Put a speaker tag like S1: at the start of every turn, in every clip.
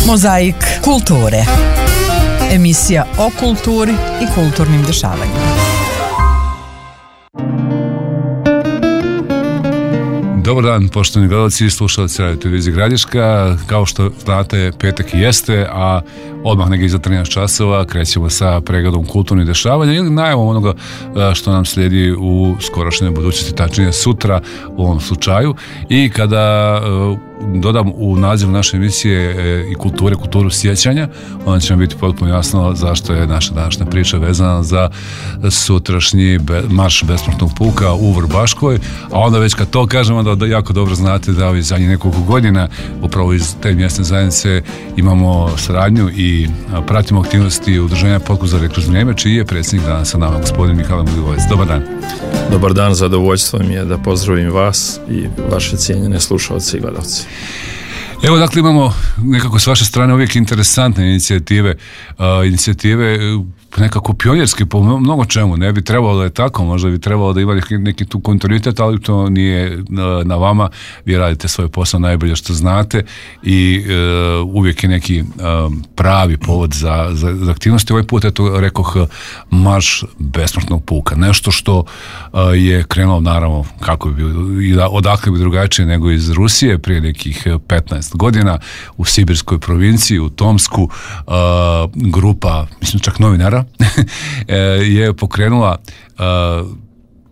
S1: Mozaik kulture. Emisija o kulturi i kulturnim dešavanjima.
S2: Dobar dan, poštovani gledalci i slušalci Radio Televizije Gradiška. Kao što znate, petak jeste, a odmah negdje iza 13 časova krećemo sa pregledom kulturnih dešavanja ili najavom onoga što nam slijedi u skorošnjoj budućnosti, tačnije sutra u ovom slučaju. I kada dodam u naziv naše emisije i kulturu sjećanja, onda će nam biti potpuno jasno zašto je naša današnja priča vezana za sutrašnji marš besmrtnog puka u Vrbaškoj, a onda već kad to kažemo da jako dobro znate da ovih zadnjih nekoliko godina upravo iz te mjesne zajednice imamo saradnju i pratimo aktivnosti udruženja Potkozorje kroz vrijeme, čiji je predsjednik danas sa nama, gospodin Mihajlo Milivojević. Dobar dan.
S3: Dobar dan, zadovoljstvo mi je da pozdravim vas i vaše cijenjene slušalce i gledalci.
S2: Evo, dakle, imamo nekako s vaše strane uvijek interesantne inicijative nekako pionjerske po mnogo čemu. Ne bi trebalo da je tako, možda bi trebalo da ima neki tu kontinuitet, ali to nije na vama. Vi radite svoj posao najbolje što znate i uvijek je neki pravi povod za aktivnosti. Ovaj put, eto, rekoh, marš besmrtnog puka. Nešto što je krenulo, naravno, kako bi bilo, i odakle bi drugačije nego iz Rusije prije nekih 15 godina u Sibirskoj provinciji, u Tomsku, grupa, mislim čak novinara, je pokrenula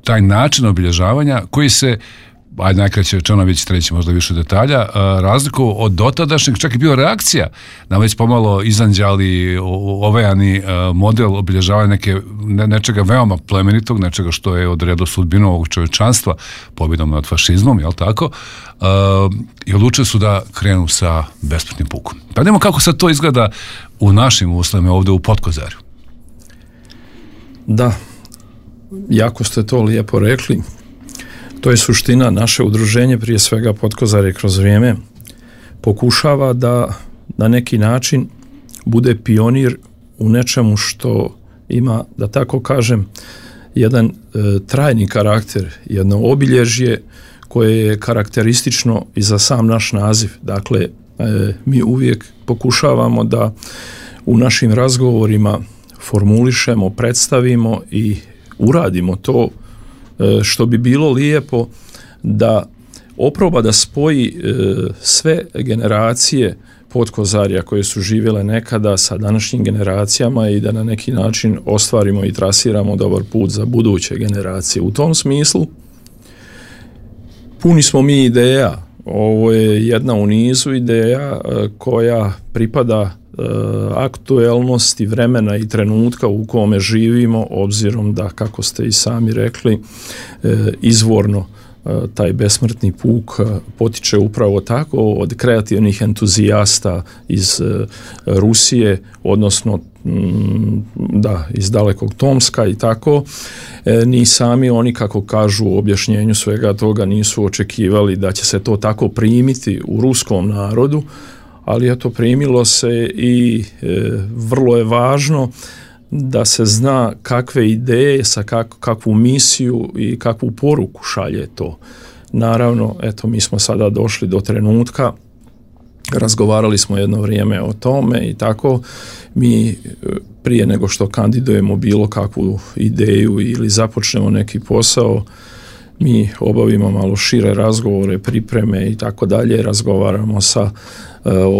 S2: taj način obilježavanja koji se, ajde najkraće rečeno, vi ćete reći možda više detalja, razliku od dotadašnjeg, čak i bio reakcija na već pomalo izanđali, ovejani model obilježavanja nečega veoma plemenitog, nečega što je odredilo sudbinu ovog čovječanstva pobjedom nad fašizmom, jel tako? I odlučili su da krenu sa besmrtnim pukom. Pa vidimo kako sad to izgleda u našim uslovima ovdje u Potkozarju.
S3: Da, jako ste to lijepo rekli. To je suština. Naše udruženje, prije svega Potkozarje kroz vrijeme, pokušava da na neki način bude pionir u nečemu što ima, da tako kažem, jedan trajni karakter, jedno obilježje koje je karakteristično i za sam naš naziv. Dakle, mi uvijek pokušavamo da u našim razgovorima formulišemo, predstavimo i uradimo to što bi bilo lijepo da oproba da spoji sve generacije Potkozarja koje su živjele nekada sa današnjim generacijama i da na neki način ostvarimo i trasiramo dobar put za buduće generacije. U tom smislu puni smo mi ideja. Ovo je jedna u nizu ideja koja pripada aktuelnosti vremena i trenutka u kome živimo, obzirom da, kako ste i sami rekli, izvorno taj besmrtni puk potiče upravo tako od kreativnih entuzijasta iz Rusije, odnosno iz dalekog Tomska i tako. Ni sami oni, kako kažu u objašnjenju svega toga, nisu očekivali da će se to tako primiti u ruskom narodu, ali eto, primilo se i vrlo je važno da se zna kakve ideje, sa kakvu misiju i kakvu poruku šalje to. Naravno, eto, mi smo sada došli do trenutka, razgovarali smo jedno vrijeme o tome i tako, mi prije nego što kandidujemo bilo kakvu ideju ili započnemo neki posao, mi obavimo malo šire razgovore, pripreme i tako dalje, razgovaramo sa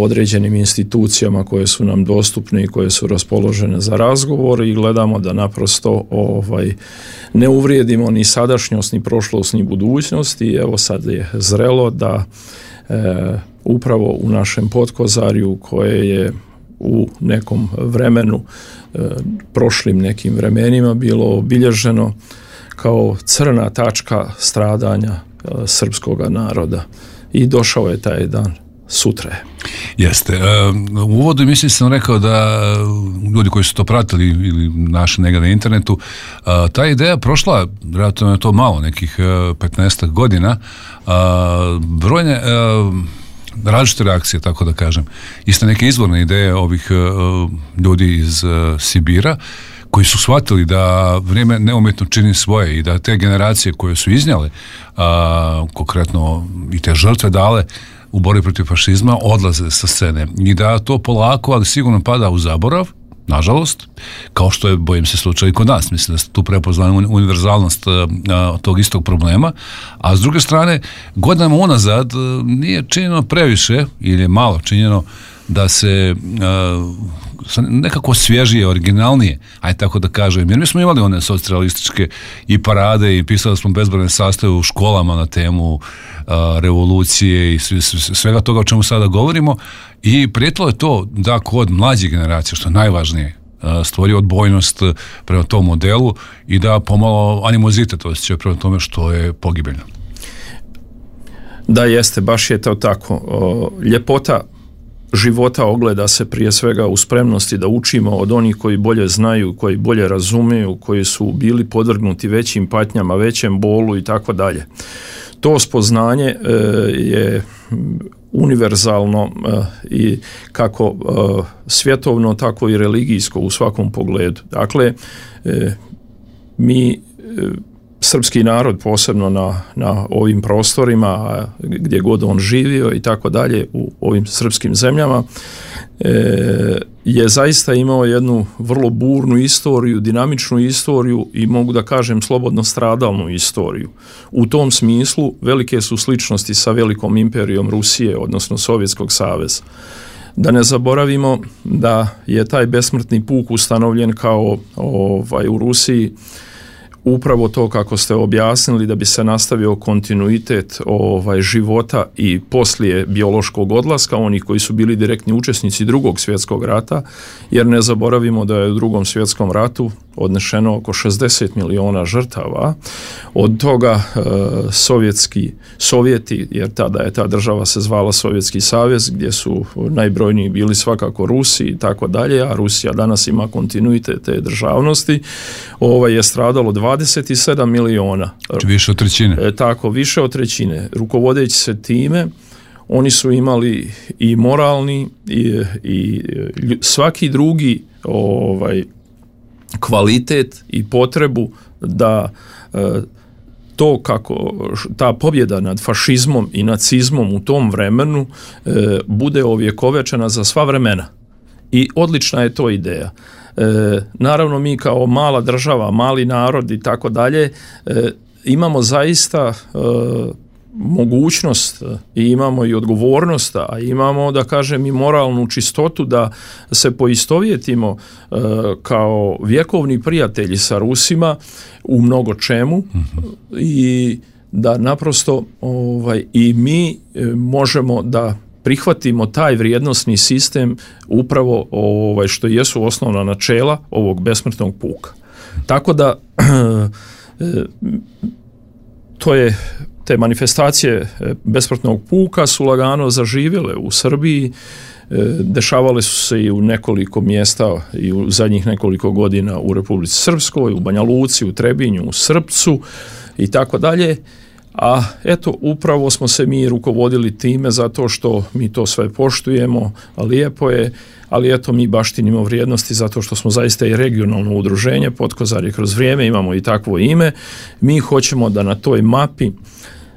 S3: određenim institucijama koje su nam dostupne i koje su raspoložene za razgovor i gledamo da naprosto ne uvrijedimo ni sadašnjost, ni prošlost, ni budućnost. I evo, sad je zrelo da upravo u našem Potkozarju, koje je u nekom vremenu, prošlim nekim vremenima, bilo obilježeno kao crna tačka stradanja srpskoga naroda. I došao je taj dan. Sutra je.
S2: Jeste. U uvodu mislim sam rekao da ljudi koji su to pratili ili našli negdje na internetu, ta ideja prošla, vjerojatno je to malo, nekih 15 godina, brojne različite reakcije, tako da kažem. Iste neke izvorne ideje ovih ljudi iz Sibira, koji su shvatili da vrijeme neumjetno čini svoje i da te generacije koje su iznijele konkretno i te žrtve dale, u borbi protiv fašizma odlaze sa scene i da to polako, ali sigurno pada u zaborav, nažalost, kao što je, bojim se, slučaj i kod nas. Mislim da ste tu prepoznali univerzalnost tog istog problema, a s druge strane, godinama unazad nije činjeno previše ili je malo činjeno da se nekako svježije, originalnije, ajde tako da kažem, jer mi smo imali one socrealističke i parade i pisali smo bezbrojne sastave u školama na temu revolucije i svega toga o čemu sada govorimo, i prijetilo je to da kod mlađih generacija, što je najvažnije, stvori odbojnost prema tom modelu i da pomalo animozitet osjećaju prema tome što je pogibeljno.
S3: Da, jeste, baš je to tako. Ljepota života ogleda se prije svega u spremnosti da učimo od onih koji bolje znaju, koji bolje razumiju, koji su bili podvrgnuti većim patnjama, većem bolu i tako dalje. To spoznanje je univerzalno i kako svjetovno, tako i religijsko u svakom pogledu. Dakle, mi srpski narod, posebno na ovim prostorima gdje god on živio i tako dalje, u ovim srpskim zemljama, je zaista imao jednu vrlo burnu istoriju, dinamičnu istoriju i mogu da kažem slobodno stradalnu istoriju. U tom smislu velike su sličnosti sa velikom imperijom Rusije, odnosno Sovjetskog saveza. Da ne zaboravimo da je taj besmrtni puk ustanovljen kao u Rusiji upravo to kako ste objasnili, da bi se nastavio kontinuitet života i poslije biološkog odlaska onih koji su bili direktni učesnici Drugog svjetskog rata, jer ne zaboravimo da je u Drugom svjetskom ratu odnešeno oko 60 miliona žrtava, od toga Sovjeti, jer tada je ta država se zvala Sovjetski savez, gdje su najbrojniji bili svakako Rusi i tako dalje, a Rusija danas ima kontinuitet te državnosti, je stradalo 27 miliona.
S2: Više od trećine.
S3: Tako, više od trećine. Rukovodeći se time, oni su imali i moralni i svaki drugi kvalitet i potrebu da to kako ta pobjeda nad fašizmom i nacizmom u tom vremenu bude ovjekovečena za sva vremena. I odlična je to ideja. Naravno, mi kao mala država, mali narod i tako dalje, imamo zaista mogućnost i imamo i odgovornost, a imamo, da kažem, i moralnu čistotu da se poistovjetimo kao vjekovni prijatelji sa Rusima u mnogo čemu i da naprosto i mi možemo da prihvatimo taj vrijednosni sistem upravo što jesu osnovna načela ovog besmrtnog puka. Tako da te manifestacije besmrtnog puka su lagano zaživjele u Srbiji, dešavale su se i u nekoliko mjesta i u zadnjih nekoliko godina u Republici Srpskoj, u Banja Luci, u Trebinju, u Srpcu i tako dalje. A eto, upravo smo se mi rukovodili time zato što mi to sve poštujemo, lijepo je, ali eto, mi baštinimo vrijednosti zato što smo zaista i regionalno udruženje, Potkozarje kroz vrijeme, imamo i takvo ime. Mi hoćemo da na toj mapi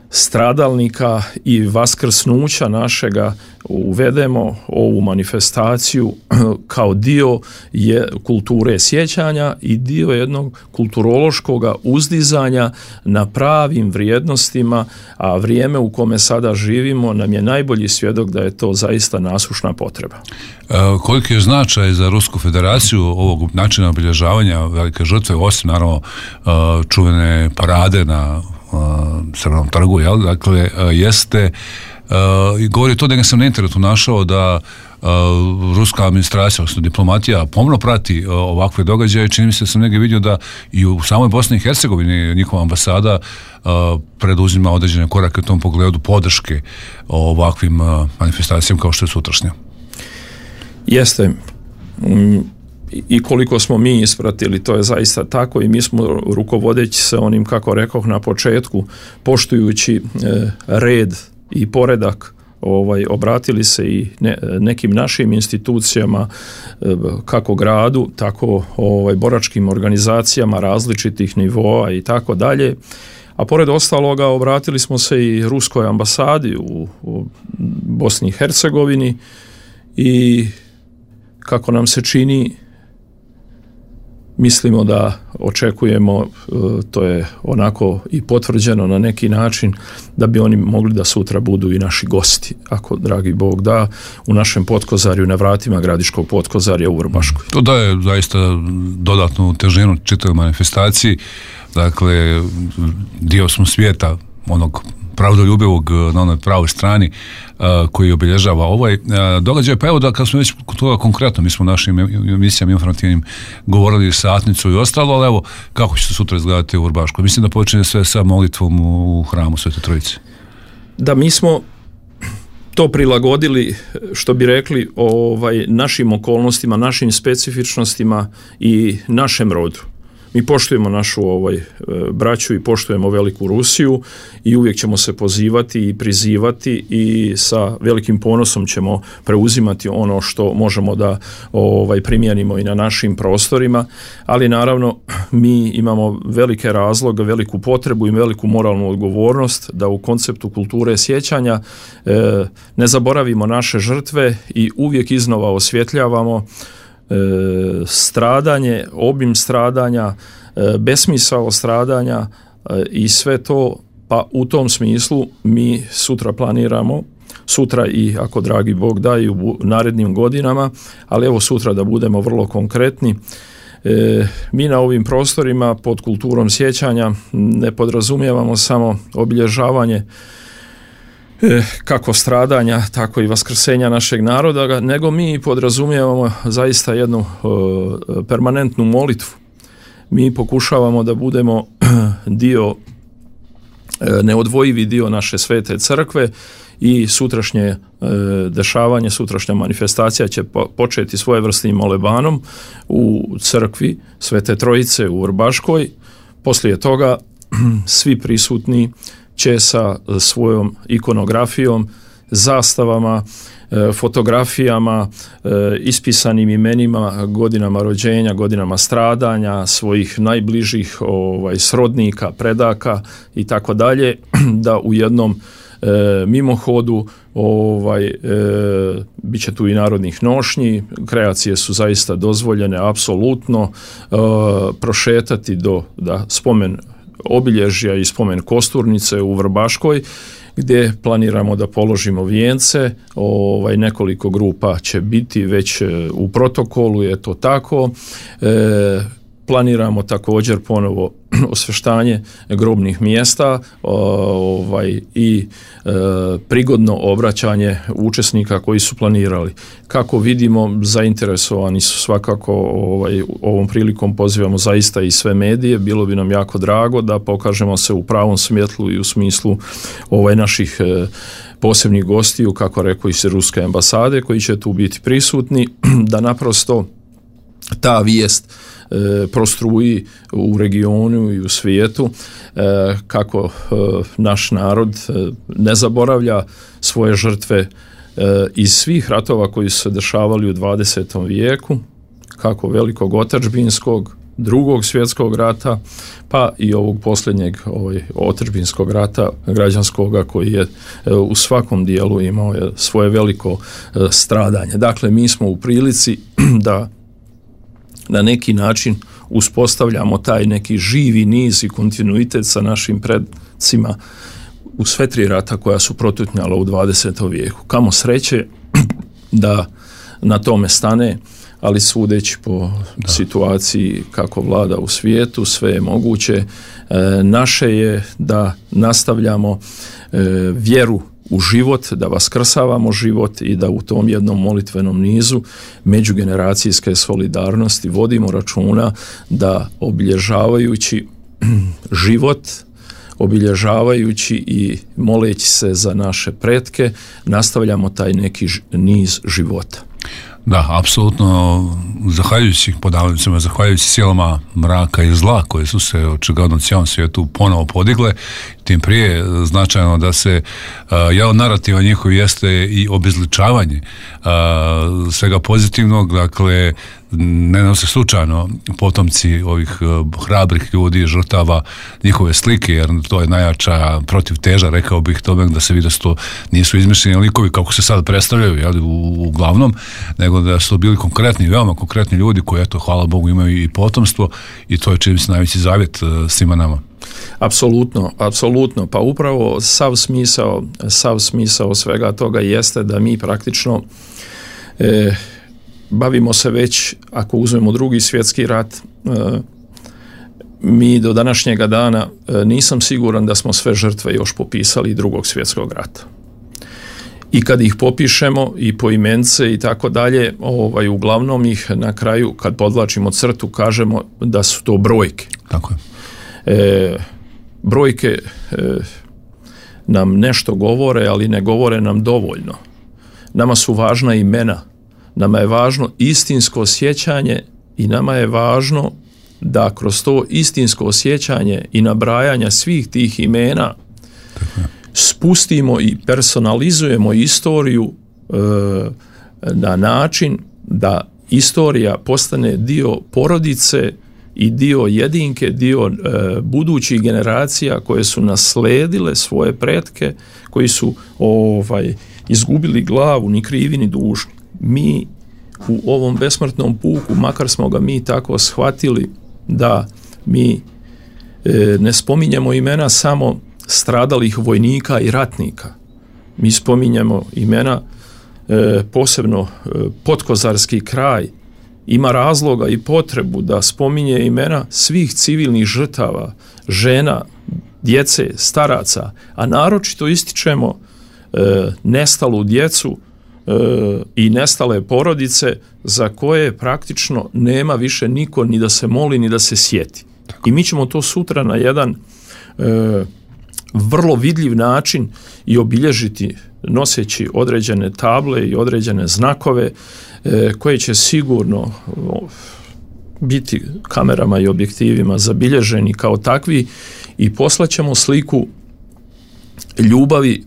S3: stradalnika i vaskrsnuća našega uvedemo ovu manifestaciju kao dio kulture sjećanja i dio jednog kulturološkog uzdizanja na pravim vrijednostima, a vrijeme u kome sada živimo nam je najbolji svjedok da je to zaista nasušna potreba.
S2: Koliki je značaj za Rusku federaciju ovog načina obilježavanja velike žrtve, osim naravno čuvene parade na Crvenom trgu, jel? Dakle, jeste i govori to da sam na internetu našao da ruska administracija, odnosno diplomatija, pomno prati ovakve događaje. Čini mi se da sam negdje vidio da i u samoj Bosni i Hercegovini njihova ambasada preduzima određene korake u tom pogledu podrške ovakvim manifestacijama kao što je sutrašnja.
S3: Jeste. I koliko smo mi ispratili, to je zaista tako i mi smo rukovodeći se onim, kako rekoh na početku, poštujući red i poredak, obratili se i nekim našim institucijama, kako gradu, tako boračkim organizacijama različitih nivoa i tako dalje. A pored ostaloga obratili smo se i ruskoj ambasadi u Bosni i Hercegovini i kako nam se čini, mislimo da očekujemo, to je onako i potvrđeno na neki način, da bi oni mogli da sutra budu i naši gosti, ako dragi Bog da, u našem Potkozarju, na vratima Gradiškog Potkozarja u Vrbaškoj.
S2: To daje zaista dodatnu težinu čitavoj manifestaciji. Dakle, dio smo svijeta onog pravdoljubivog na onoj pravoj strani koji obilježava ovaj događaj. Pa evo da kad smo već toga konkretno, mi smo u našim emisijama informativnim govorili satnicu i ostalo, ali evo kako će se sutra izgledati u Vrbaškoj. Mislim da počinje sve sa molitvom u hramu Svete Trojice.
S3: Da, mi smo to prilagodili, što bi rekli, našim okolnostima, našim specifičnostima i našem rodu. Mi poštujemo našu braću i poštujemo veliku Rusiju i uvijek ćemo se pozivati i prizivati i sa velikim ponosom ćemo preuzimati ono što možemo da primijenimo i na našim prostorima, ali naravno mi imamo velike razloge, veliku potrebu i veliku moralnu odgovornost da u konceptu kulture sjećanja ne zaboravimo naše žrtve i uvijek iznova osvjetljavamo stradanje, obim stradanja, besmisao stradanja i sve to, pa u tom smislu mi sutra planiramo, sutra i ako dragi Bog da i u narednim godinama, ali evo sutra da budemo vrlo konkretni, mi na ovim prostorima pod kulturom sjećanja ne podrazumijevamo samo obilježavanje kako stradanja, tako i vaskrsenja našeg naroda, nego mi podrazumijevamo zaista jednu permanentnu molitvu. Mi pokušavamo da budemo dio, neodvojivi dio naše svete crkve i sutrašnje dešavanje, sutrašnja manifestacija će početi svojevrsnim molebanom u crkvi Svete Trojice u Vrbaškoj. Poslije toga svi prisutni će sa svojom ikonografijom, zastavama, fotografijama, ispisanim imenima, godinama rođenja, godinama stradanja, svojih najbližih srodnika, predaka i tako dalje, da u jednom mimohodu bit će tu i narodnih nošnji, kreacije su zaista dozvoljene, apsolutno, prošetati do spomen obilježja i spomen kosturnice u Vrbaškoj, gdje planiramo da položimo vijence. Nekoliko grupa će biti već u protokolu, je to tako. Planiramo također ponovo osveštanje grobnih mjesta i prigodno obraćanje učesnika koji su planirali. Kako vidimo, zainteresovani su svakako, ovom prilikom pozivamo zaista i sve medije, bilo bi nam jako drago da pokažemo se u pravom svjetlu i u smislu naših posebnih gostiju, kako rekao iz ruske ambasade koji će tu biti prisutni, da naprosto ta vijest prostruji u regionu i u svijetu, kako naš narod ne zaboravlja svoje žrtve iz svih ratova koji su se dešavali u 20. vijeku, kako velikog otadžbinskog, Drugog svjetskog rata, pa i ovog posljednjeg otadžbinskog rata građanskoga koji je u svakom dijelu imao svoje veliko stradanje. Dakle, mi smo u prilici da na neki način uspostavljamo taj neki živi niz i kontinuitet sa našim predcima u sve tri rata koja su protutnjala u 20. vijeku. Kamo sreće da na tome stane, ali sudeći po situaciji kako vlada u svijetu, sve je moguće. Naše je da nastavljamo vjeru u život, da vaskrsavamo život i da u tom jednom molitvenom nizu međugeneracijske solidarnosti vodimo računa da obilježavajući život, obilježavajući i moleći se za naše pretke, nastavljamo taj neki niz života.
S2: Da, apsolutno, zahvaljujući silama mraka i zla koje su se očigledno u cijelom svijetu ponovo podigle, tim prije značajno da se jedan od narativa njihov jeste i obezličavanje svega pozitivnog, dakle ne nose slučajno potomci ovih hrabrih ljudi, žrtava, njihove slike, jer to je najjača protivteža, rekao bih tome, da se vidi da su to nisu izmišljeni likovi kako se sad predstavljaju, jel, uglavnom, nego da su bili konkretni, veoma konkretni ljudi koji, eto, hvala Bogu, imaju i potomstvo, i to je čini se najveći zavjet svima nama. Apsolutno. Pa upravo sav smisao svega toga jeste da mi praktično bavimo se već, ako uzmemo Drugi svjetski rat, mi do današnjega dana nisam siguran da smo sve žrtve još popisali Drugog svjetskog rata. I kad ih popišemo i poimence i tako dalje, uglavnom ih na kraju, kad podvlačimo crtu, kažemo da su to brojke. Tako je.
S3: Brojke nam nešto govore, ali ne govore nam dovoljno. Nama su važna imena, nama je važno istinsko osjećanje i nama je važno da kroz to istinsko osjećanje i nabrajanja svih tih imena spustimo i personalizujemo istoriju na način da istorija postane dio porodice i dio jedinke, dio budućih generacija koje su nasledile svoje pretke, koji su izgubili glavu, ni krivi ni dužni. Mi u ovom besmrtnom puku, makar smo ga mi tako shvatili da mi ne spominjemo imena samo stradalih vojnika i ratnika. Mi spominjemo imena, posebno Podkozarski kraj ima razloga i potrebu da spominje imena svih civilnih žrtava, žena, djece, staraca, a naročito ističemo nestalu djecu i nestale porodice za koje praktično nema više niko ni da se moli ni da se sjeti. I mi ćemo to sutra na jedan vrlo vidljiv način i obilježiti noseći određene table i određene znakove koje će sigurno biti kamerama i objektivima zabilježeni kao takvi i poslaćemo sliku ljubavi,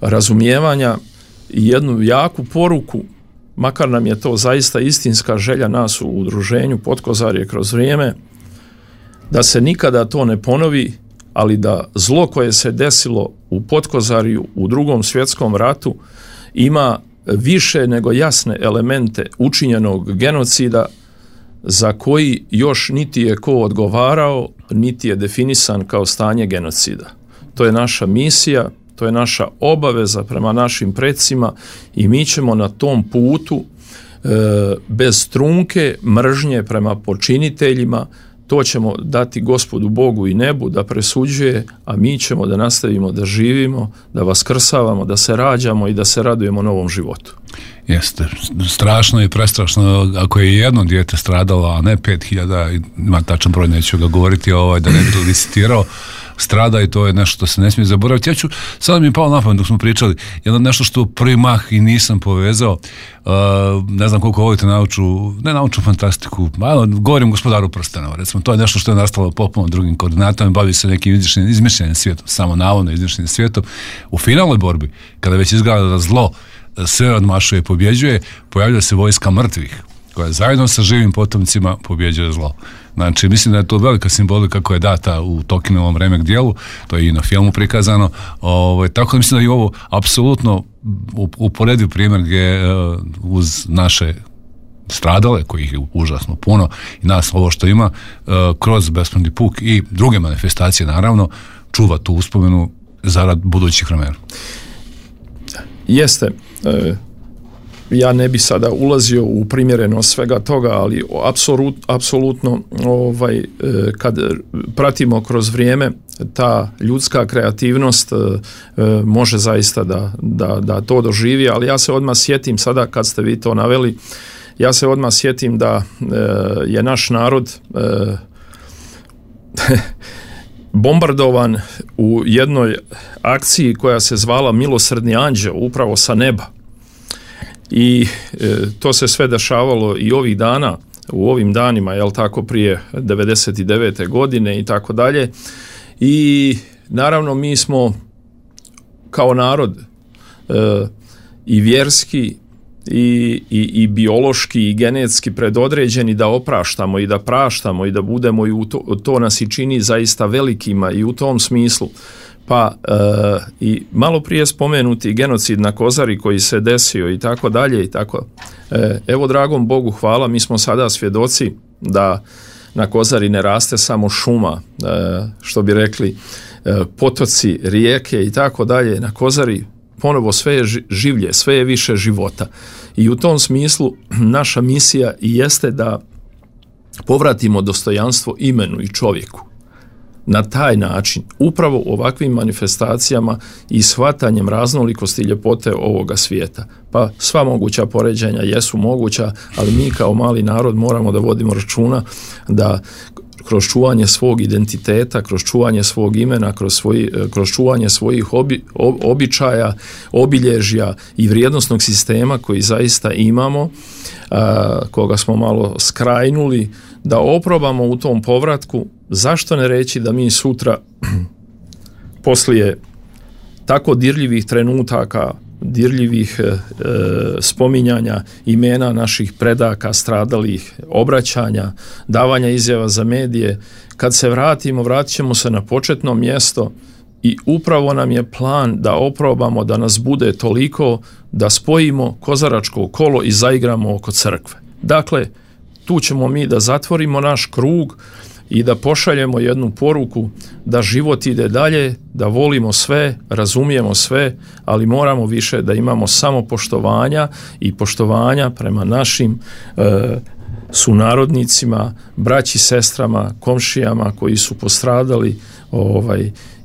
S3: razumijevanja i jednu jaku poruku, makar nam je to zaista istinska želja nas u udruženju Podkozarje kroz vrijeme, da se nikada to ne ponovi, ali da zlo koje se desilo u Podkozarju u Drugom svjetskom ratu ima više nego jasne elemente učinjenog genocida za koji još niti je ko odgovarao, niti je definisan kao stanje genocida. To je naša misija, to je naša obaveza prema našim precima i mi ćemo na tom putu bez trunke mržnje prema počiniteljima, to ćemo dati Gospodu Bogu i nebu da presuđuje, a mi ćemo da nastavimo da živimo, da vaskrsavamo, da se rađamo i da se radujemo novom životu.
S2: Jeste, strašno i prestrašno ako je jedno dijete stradalo, a ne 5000, ima tačan broj, neću ga govoriti, da ne bi licitirao, strada i to je nešto što se ne smije zaboraviti. Ja ću, sada mi je palo na pamet dok smo pričali, jedno nešto što prvi mah i nisam povezao, ne znam koliko volite naučnu fantastiku, govorim Gospodaru prstenova, recimo, to je nešto što je nastalo popuno drugim koordinatama, bavi se nekim izmišljenim svijetom, samo navodno izmišljenim svijetom. U finalnoj borbi, kada već izgleda da zlo sve odmašuje i pobjeđuje, pojavlja se vojska mrtvih, koja zajedno sa živim potomcima pobjeđuje zlo. Znači, mislim da je to velika simbolika koja je data u Tolkienovom Remek dijelu, to je i na filmu prikazano, tako da mislim da je ovo apsolutno uporediv primjer gdje uz naše stradale, kojih je užasno puno, i nas ovo što ima, kroz besmrtni puk i druge manifestacije, naravno, čuva tu uspomenu zarad budućih vremena.
S3: Jeste. Ja ne bi sada ulazio u primjerenost svega toga, ali apsolutno kad pratimo kroz vrijeme, ta ljudska kreativnost može zaista da to doživi, ali ja se odmah sjetim sada kad ste vi to naveli, ja se odmah sjetim da je naš narod bombardovan u jednoj akciji koja se zvala Milosrdni anđeo, upravo sa neba. i to se sve dešavalo i ovih dana, u ovim danima, jel tako, prije 99. godine i tako dalje. I naravno mi smo kao narod i vjerski i biološki i genetski predodređeni da opraštamo i da praštamo i da budemo, i to nas i čini zaista velikima i u tom smislu. Pa i malo prije spomenuti genocid na Kozari koji se desio i tako dalje i tako. Evo, dragom Bogu hvala, mi smo sada svjedoci da na Kozari ne raste samo šuma, što bi rekli, potoci, rijeke i tako dalje. Na Kozari ponovo sve je življe, sve je više života. I u tom smislu naša misija i jeste da povratimo dostojanstvo imenu i čovjeku. Na taj način, upravo ovakvim manifestacijama i shvatanjem raznolikosti i ljepote ovoga svijeta. Pa sva moguća poređenja jesu moguća, ali mi kao mali narod moramo da vodimo računa da kroz čuvanje svog identiteta, kroz čuvanje svog imena, kroz čuvanje svojih običaja, obilježja i vrijednosnog sistema koji zaista imamo, koga smo malo skrajnuli, da oprobamo u tom povratku. Zašto ne reći da mi sutra poslije tako dirljivih trenutaka, dirljivih spominjanja imena naših predaka, stradalih, obraćanja, davanja izjava za medije, kad se vratimo, vratit ćemo se na početno mjesto i upravo nam je plan da oprobamo da nas bude toliko da spojimo kozaračko kolo i zaigramo oko crkve. Dakle, tu ćemo mi da zatvorimo naš krug i da pošaljemo jednu poruku da život ide dalje, da volimo sve, razumijemo sve, ali moramo više da imamo samopoštovanja i poštovanja prema našim sunarodnicima, braći, sestrama, komšijama koji su postradali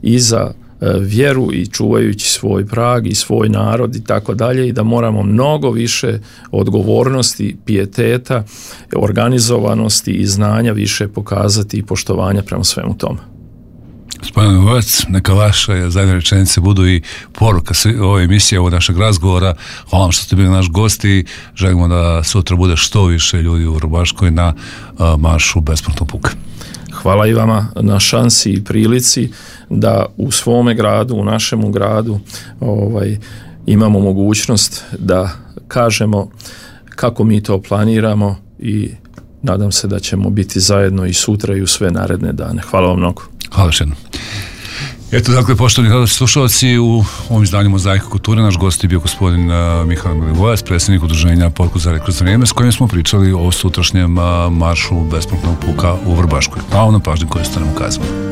S3: i za vjeru i čuvajući svoj prag i svoj narod i tako dalje, i da moramo mnogo više odgovornosti, pijeteta, organizovanosti i znanja više pokazati i poštovanja prema svemu tome.
S2: Gospodin Milivojevac, neka vaše zadnje rečenice budu i poruka ove emisije, ovog našeg razgovora. Hvala vam što ste bili naš gost i želimo da sutra bude što više ljudi u Vrbaškoj na maršu besplatnog puka.
S3: Hvala i vama na šansi i prilici da u svome gradu, u našemu gradu imamo mogućnost da kažemo kako mi to planiramo i nadam se da ćemo biti zajedno i sutra i u sve naredne dane. Hvala vam mnogo.
S2: Hvala još jednom. Eto, dakle, poštovani slušalci, u ovom izdanju Mozaika kulture naš gost je bio gospodin Mihael Milivojevac, predsjednik udruženja Pod Kozare kroz vrijeme, s kojim smo pričali o sutrašnjem maršu besplatnog puka u Vrbaškoj. Hvala na pažnji koju ste nam ukazali.